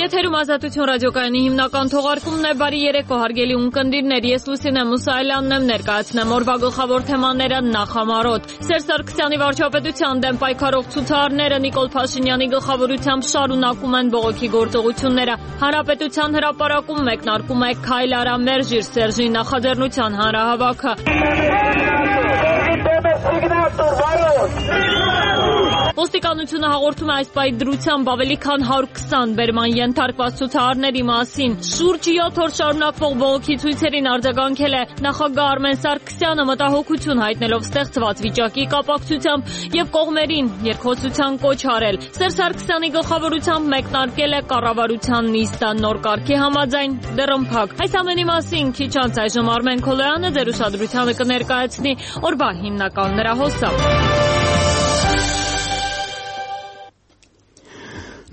Եթերում Ազատություն ռադիոկայանի հիմնական թողարկումն է, բարի երեկո հարգելի ունկնդիրներ, ես Լուսինե Մուսայելյանն եմ, ներկայացնեմ օրվա գլխավոր թեմաները նախամարոտ։ Սերժ Սարգսյանի վարչապետության դեմ պայքարող ցուցարարները Նիկոլ Փաշինյանի գլխավորությամբ շարունակում են բողոքի գործողությունները։ Հանրապետության հրապարակում մեկնարկում է «Քայլ արա մերժիր» Սերժի նախաձեռնության հանրահավաքը։ Ոստիկանությունը հաղորդում է այս պահի դրությամբ ավելի քան 120 բերման ենթարկված ցուցարարների մասին։ Շուրջ 7 օր շարունակվող բողոքի ցույցերին արձագանքել է նախագահ Արմեն Սարգսյանը, մտահոգություն հայտնելով ստեղծված վիճակի կապակցությամբ եւ կողմերին երկխոսության կոչ արել։ Սերժ Սարգսյանի գլխավորությամբ մեկնարկել է կառավարության նիստը նոր կարգի համաձայն դռնփակ։ Այս ամենի մասին քիչ անց այժմ Արմեն Քոլոյանը ձեր ուշադրությանը կներկայացնի օրվա հիմնական լրահոսը։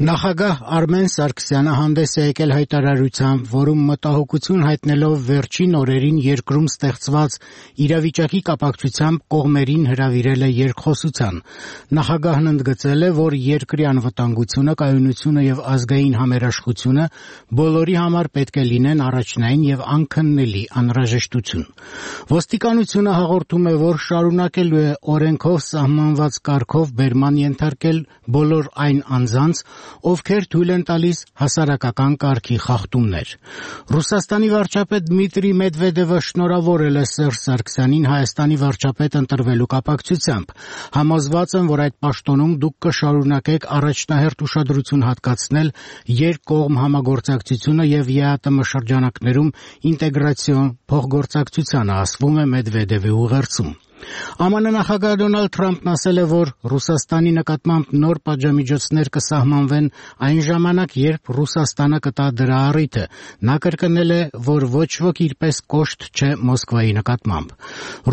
Նախագահ Արմեն Սարգսյանը հանդես է եկել հայտարարությամբ, որում մտահոգություն հայտնելով վերջին օրերին երկրում ստեղծված իրավիճակի կապակցությամբ կողմերին հրավիրել է երկխոսության։ Նախագահն ընդգծել է, որ երկրի անվտանգությունը, կայունությունը եւ ազգային համերաշխությունը բոլորի համար պետք է լինեն առաջնային եւ անքննելի անհրաժեշտություն։ Ոստիկանությունը հաղորդում է, որ շարունակելու է օրենքով սահմանված կարգով բերման ենթարկել բոլոր այն անձանց, ովքեր թույլ են տալիս հասարակական կարգի խախտումներ։ Ռուսաստանի վարչապետ Դմիտրի Մեդվեդևը շնորհավորել է Սերժ Սարգսյանին Հայաստանի վարչապետ ընտրվելու կապակցությամբ։ Համոզված եմ, որ այդ պաշտոնում դուք կշարունակեք առաջնահերթ ուշադրություն հատկացնել երկկողմ համագործակցությունը եւ ԵԱՏՄ շրջանակներում ինտեգրացիոն փոխգործակցությանը, ասվում է Մեդվեդևի ուղերձում։ ԱՄՆ նախագահ Դոնալդ Թրամփն ասել է, որ Ռուսաստանի նկատմամբ նոր պատժամիջոցներ կսահմանվեն այն ժամանակ, երբ Ռուսաստանը կտա դրա առիթը։ Նա կրկնել է, որ ոչ ոք իրպես կոշտ չէ Մոսկվայի նկատմամբ։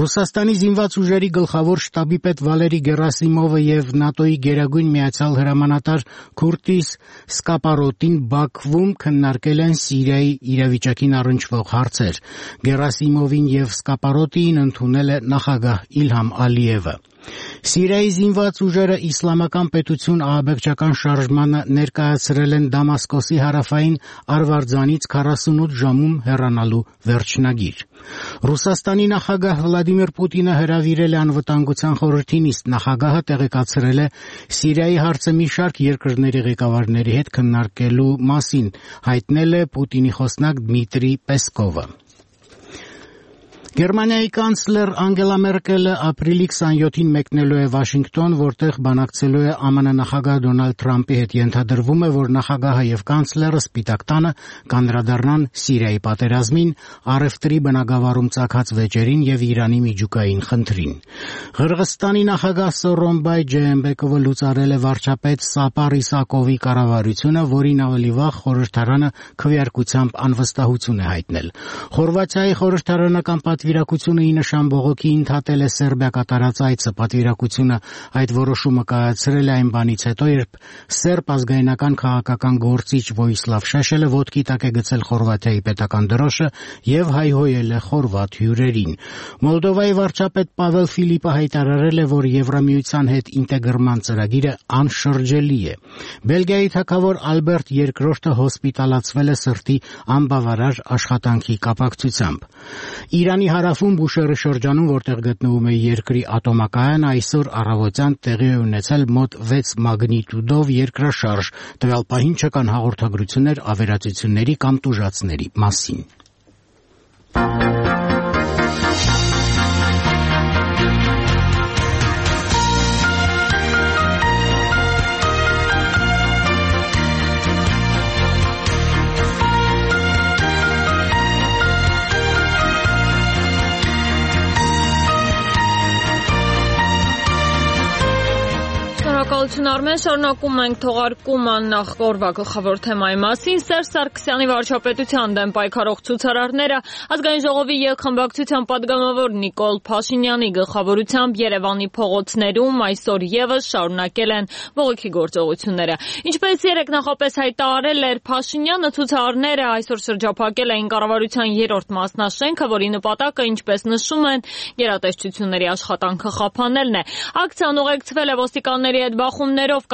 Ռուսաստանի զինված ուժերի գլխավոր շտաբի պետ Վալերի Գերասիմովը եւ ՆԱՏՕ-ի գերագույն միացյալ հրամանատար Քուրտիս Սկապարոտին Բաքվում քննարկել են Սիրիայի իրավիճակին առնչվող հարցեր։ Գերասիմովին եւ Սկապարոտին ընդունել է նախագահ Իլհամ Ալիևը։ Սիրիայի զինված ուժերը իսլամական պետություն ահաբեկչական շարժմանը ներկայացրել են Դամասկոսի հարավային Արվարձանից 48 ժամում հեռանալու վերջնագիր։ Ռուսաստանի նախագահ Վլադիմիր Պուտինը հրավիրել է անվտանգության խորհրդի նիստ։ Նախագահը տեղեկացրել է Սիրիայի հարցը մի շարք երկրների ղեկավարների հետ քննարկելու մասին, հայտնել է Պուտինի խոսնակ Դմիտրի Պեսկովը։ Գերմանիայի կանցլեր Անգելա Մերկելը ապրիլի 27-ին մեկնելու է Վաշինգտոն, որտեղ բանակցելու է ԱՄՆ նախագահ Դոնալդ Թրամփի հետ։ Ենթադրվում է, որ նախագահը եւ կանցլերը Սպիտակ տանը կանդրադառնան Սիրիայի պատերազմին, առևտրի բնագավառում ծագած վեճերին եւ Իրանի միջուկային խնդրին։ Ղրղստանի նախագահ Սորոնբայ Ջեյմբեկովը լուծարել է վարչապետ Սապար Իսակովի կառավարությունը, որին ավելի վաղ խորհրդարանը քվեարկությամբ անվստահություն է հայտնել։ Խորվաթիայի խորհրդարանական պատվիրակությունը ի նշան բողոքի ընդհատել է Սերբիա կատարած այցը։ Պատվիրակությունը այդ որոշումը կայացրել է այն բանից հետո, երբ սերբ ազգայնական քաղաքական գործիչ Վոյսլավ Շեշելը ոտքի տակ է գցել Խորվաթիայի պետական դրոշը եւ հայհոյել է խորվաթ հյուրերին։ Մոլդովայի վարչապետ Պավել Ֆիլիպը հայտարարել է, որ Եվրամիության հետ ինտեգրման ծրագիրը անշրջելի է։ Բելգիայի թագավոր Ալբերտ II հոսպիտալացվել է սրտի անբավարար աշխատանքի կապակցությամբ։ Իրանի հարավում Բուշեհրի շրջանում, որտեղ գտնվում է երկրի ատոմակայանը, այսօր առավոտյան տեղի է ունեցել մոտ 6 մագնիտուդով երկրաշարժ։ Տվյալ պահին չկան հաղորդագրություններ ավերածությունների կամ տուժածների մասին։ Շնորհակալություն Արմեն, շարունակում ենք թողարկումը նախ օրվա գլխավոր թեմայի մասին։ Սերժ Սարգսյանի վարչապետության դեմ պայքարող ցուցարարները ազգային ժողովի ելխմբակցության պատգամավոր Նիկոլ Փաշինյանի գլխավորությամբ Երևանի փողոցներում այսօր եւս շարունակել են բողոքի գործողությունները։ Ինչպես երեկ նախապես հայտարարել էր Փաշինյանը, ցուցարարները այսօր շրջափակել էին կառավարության 3-րդ մասնաշենքը, որի նպատակը, ինչպես նշում են, գերատեսչությունների աշխատանքը խափանելն է։ Ակցիան ուղեկցվել է ոստիկանների հետ բախումներով,